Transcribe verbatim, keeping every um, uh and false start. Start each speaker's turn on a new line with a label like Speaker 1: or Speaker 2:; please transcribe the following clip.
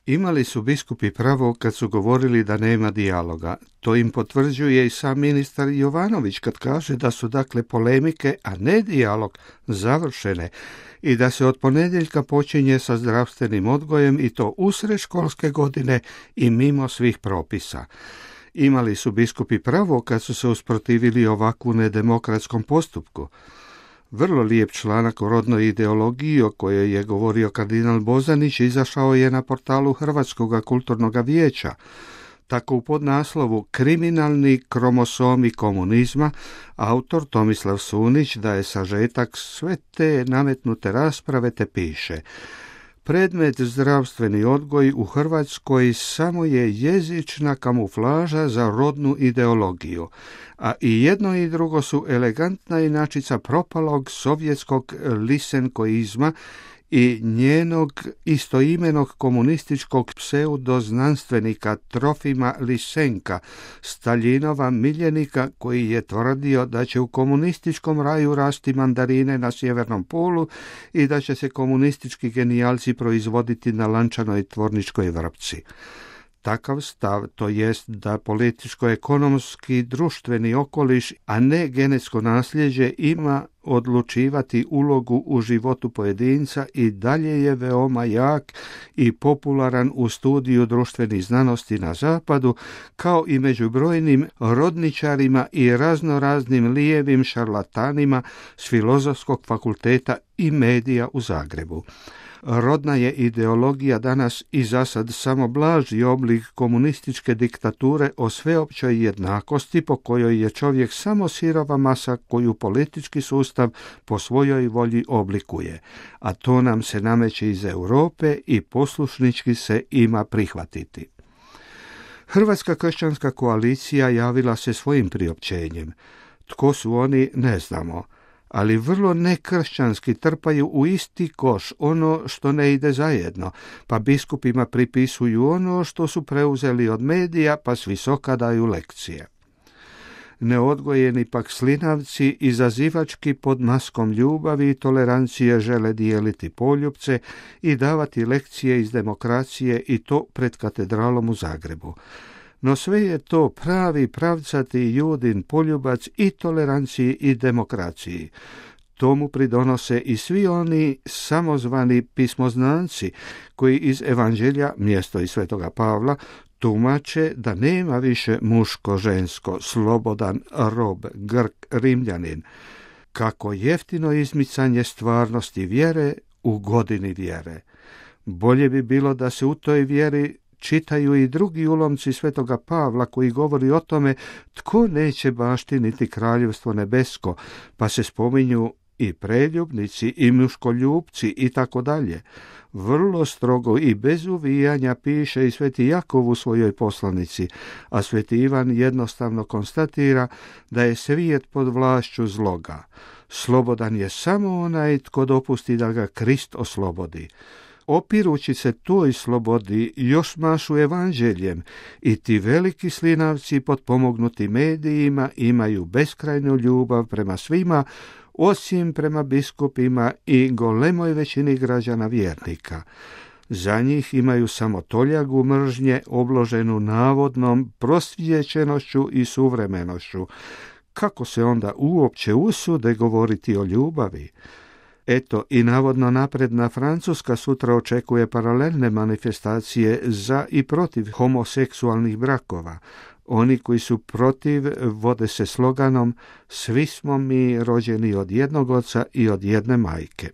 Speaker 1: Imali su biskupi pravo kad su govorili da nema dijaloga. To im potvrđuje i sam ministar Jovanović kad kaže da su dakle polemike, a ne dijalog, završene i da se od ponedjeljka počinje sa zdravstvenim odgojem i to usred školske godine i mimo svih propisa. Imali su biskupi pravo kad su se usprotivili ovakvu nedemokratskom postupku. Vrlo lijep članak o rodnoj ideologiji o kojoj je govorio kardinal Bozanić izašao je na portalu Hrvatskog kulturnog vijeća. Tako u podnaslovu Kriminalni kromosomi komunizma autor Tomislav Sunić daje sažetak sve te nametnute rasprave te piše: predmet zdravstveni odgoj u Hrvatskoj samo je jezična kamuflaža za rodnu ideologiju, a i jedno i drugo su elegantna inačica propalog sovjetskog lisenkoizma i njenog istoimenog komunističkog pseudoznanstvenika Trofima Lisenka, Staljinova miljenika koji je tvrdio da će u komunističkom raju rasti mandarine na sjevernom polu i da će se komunistički genijalci proizvoditi na lančanoj tvorničkoj vrpci. Takav stav, to jest da političko-ekonomski društveni okoliš, a ne genetsko nasljeđe, ima odlučivati ulogu u životu pojedinca i dalje je veoma jak i popularan u studiju društvenih znanosti na zapadu, kao i među brojnim rodničarima i raznoraznim lijevim šarlatanima s Filozofskog fakulteta i medija u Zagrebu. Rodna je ideologija danas i zasad samo blaži oblik komunističke diktature o sveopćoj jednakosti po kojoj je čovjek samo sirova masa koju politički sustav po svojoj volji oblikuje, a to nam se nameće iz Europe i poslušnički se ima prihvatiti. Hrvatska kršćanska koalicija javila se svojim priopćenjem. Tko su oni, ne znamo, ali vrlo nekršćanski trpaju u isti koš ono što ne ide zajedno, pa biskupima pripisuju ono što su preuzeli od medija, pa s visoka daju lekcije. Neodgojeni pak slinavci izazivački pod maskom ljubavi i tolerancije žele dijeliti poljupce i davati lekcije iz demokracije i to pred katedralom u Zagrebu. No sve je to pravi pravcati Judin poljubac i toleranciji i demokraciji. Tomu pridonose i svi oni samozvani pismoznanci koji iz Evanđelja, mjesto iz Svetoga Pavla, tumače da nema više muško-žensko, slobodan, rob, Grk, Rimljanin. Kako jeftino izmicanje stvarnosti vjere u godini vjere. Bolje bi bilo da se u toj vjeri čitaju i drugi ulomci Svetoga Pavla koji govori o tome tko neće baštiniti kraljevstvo nebesko, pa se spominju i preljubnici i muškoljupci i tako dalje. Vrlo strogo i bez uvijanja piše i sveti Jakov u svojoj poslanici, a sveti Ivan jednostavno konstatira da je svijet pod vlašću zloga. Slobodan je samo onaj tko dopusti da ga Krist oslobodi. Opirući se toj slobodi još mašu evanđeljem i ti veliki slinavci potpomognuti medijima imaju beskrajnu ljubav prema svima, osim prema biskupima i golemoj većini građana vjernika. Za njih imaju samo toljagu mržnje obloženu navodnom prosvjećenošću i suvremenošću. Kako se onda uopće usude govoriti o ljubavi? Eto, i navodno napredna Francuska sutra očekuje paralelne manifestacije za i protiv homoseksualnih brakova. Oni koji su protiv vode se sloganom "Svi smo mi rođeni od jednog oca i od jedne majke".